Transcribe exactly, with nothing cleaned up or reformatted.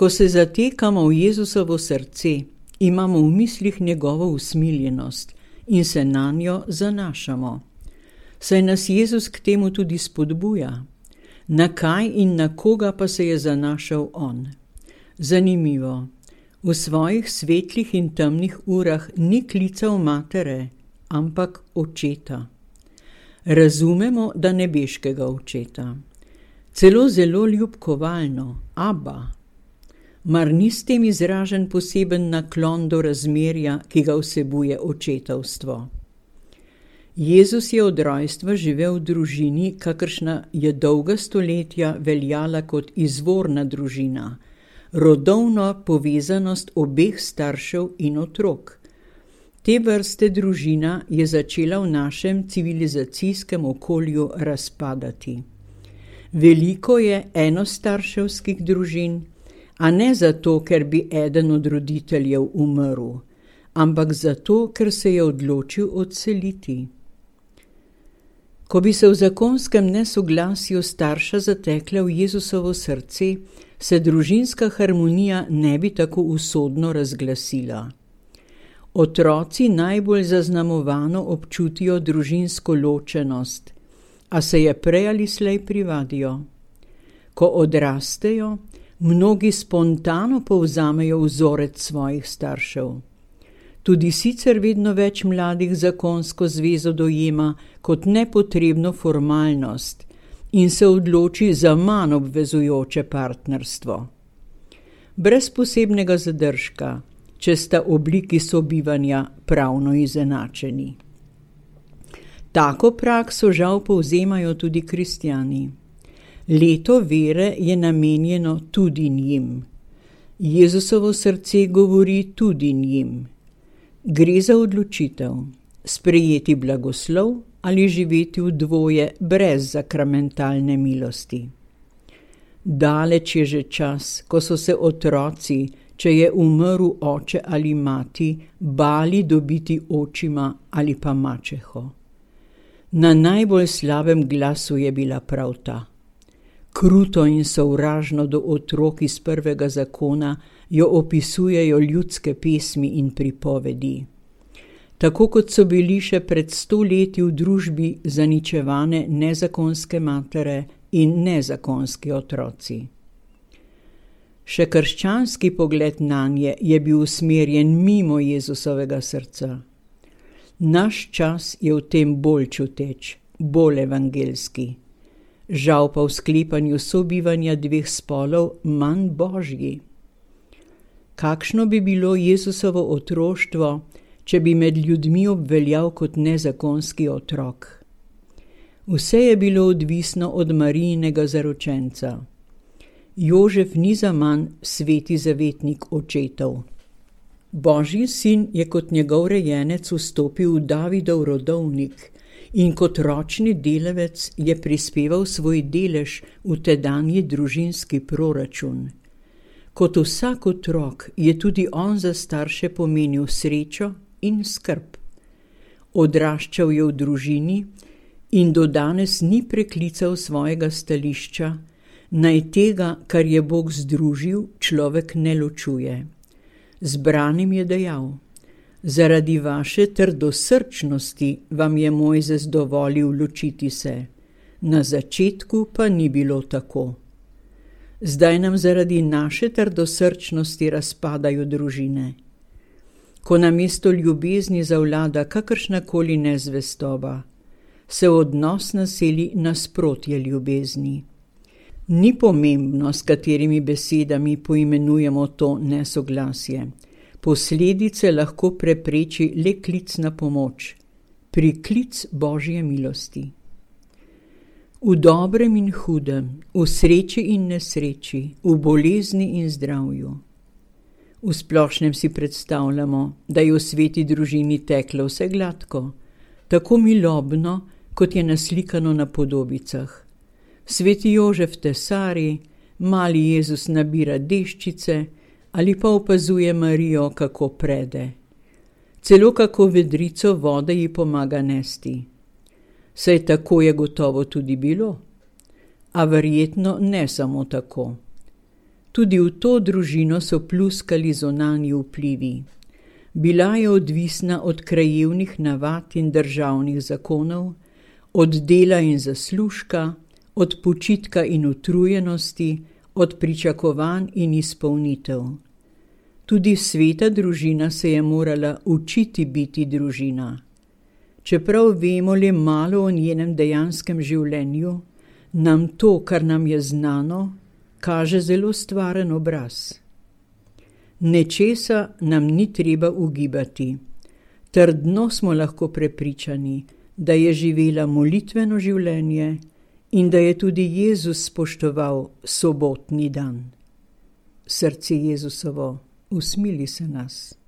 Ko se zatekamo v Jezusovo srce, imamo v mislih njegovo usmiljenost in se nanjo zanašamo. Saj nas Jezus k temu tudi spodbuja. Na kaj in na koga pa se je zanašal on? Zanimivo, v svojih svetlih in temnih urah ni klical matere, ampak očeta. Razumemo, da nebeškega očeta. Celo zelo ljubkovalno, Abba. Mar ni s tem izražen poseben naklon do razmerja, ki ga vsebuje očetovstvo? Jezus je od rojstva živel v družini, kakršna je dolga stoletja veljala kot izvorna družina, rodovna povezanost obeh staršev in otrok. Te vrste družina je začela v našem civilizacijskem okolju razpadati. Veliko je enostarševskih družin, a ne zato, ker bi eden od roditeljev umrl, ampak zato, ker se je odločil odseliti. Ko bi se v zakonskem nesoglasju starša zatekla v Jezusovo srce, se družinska harmonija ne bi tako usodno razglasila. Otroci najbolj zaznamovano občutijo družinsko ločenost, a se je prej ali slej privadijo. Ko odrastejo, mnogi spontano povzamejo vzorec svojih staršev. Tudi sicer vedno več mladih zakonsko zvezo dojema kot nepotrebno formalnost in se odloči za manj obvezujoče partnerstvo. Brez posebnega zadržka, če sta obliki sobivanja pravno izenačeni. Tako prakso žal povzemajo tudi kristjani. Leto vere je namenjeno tudi njim. Jezusovo srce govori tudi njim. Gre za odločitev, sprejeti blagoslov ali živeti v dvoje brez sakramentalne milosti. Daleč je že čas, ko so se otroci, če je umrl oče ali mati, bali dobiti očima ali pa mačeho. Na najbolj slabem glasu je bila prav ta. Kruto in sovražno do otrok iz prvega zakona jo opisujejo ljudske pesmi in pripovedi. Tako kot so bili še pred sto leti v družbi zaničevane nezakonske matere in nezakonski otroci. Še krščanski pogled nanje je bil usmerjen mimo Jezusovega srca. Naš čas je v tem bolj čuteč, bolj evangelski. Žal pa v sklepanju sobivanja dveh spolov manj božji. Kakšno bi bilo Jezusovo otroštvo, če bi med ljudmi obveljal kot nezakonski otrok? Vse je bilo odvisno od Marijinega zaročenca. Jožef ni zaman sveti zavetnik očetov. Božji sin je kot njegov rejenec vstopil v Davidov rodovnik in kot ročni delavec je prispeval svoj delež v tedanji družinski proračun. Kot vsak otrok je tudi on za starše pomenil srečo in skrb. Odraščal je v družini in do danes ni preklical svojega stališča, naj tega, kar je Bog združil, človek ne ločuje. Zbranim je dejal: zaradi vaše trdosrčnosti vam je Mojzes dovolil ločiti se. Na začetku pa ni bilo tako. Zdaj nam zaradi naše trdosrčnosti razpadajo družine. Ko namesto ljubezni zavlada kakršnakoli nezvestoba, se odnos naseli nasprotje ljubezni. Ni pomembno, s katerimi besedami poimenujemo to nesoglasje. Posledice lahko prepreči le klic na pomoč, priklic Božje milosti. V dobrem in hudem, v sreči in nesreči, v bolezni in zdravju. V splošnem si predstavljamo, da je v sveti družini teklo vse gladko, tako milobno, kot je naslikano na podobicah. Sveti Jožef tesari, mali Jezus nabira deščice ali pa opazuje Marijo, kako prede. Celo kako vedrico vode ji pomaga nesti. Saj tako je gotovo tudi bilo, a verjetno ne samo tako. Tudi v to družino so pluskali zunanji vplivi. Bila je odvisna od krajevnih navad in državnih zakonov, od dela in zaslužka, od počitka in utrujenosti, od pričakovanj in izpolnitev. Tudi sveta družina se je morala učiti biti družina. Čeprav vemo le malo o njenem dejanskem življenju, nam to, kar nam je znano, kaže zelo stvaren obraz. Nečesa nam ni treba ugibati. Trdno smo lahko prepričani, da je živela molitveno življenje in da je tudi Jezus spoštoval sobotni dan. Srce Jezusovo, usmili se nas.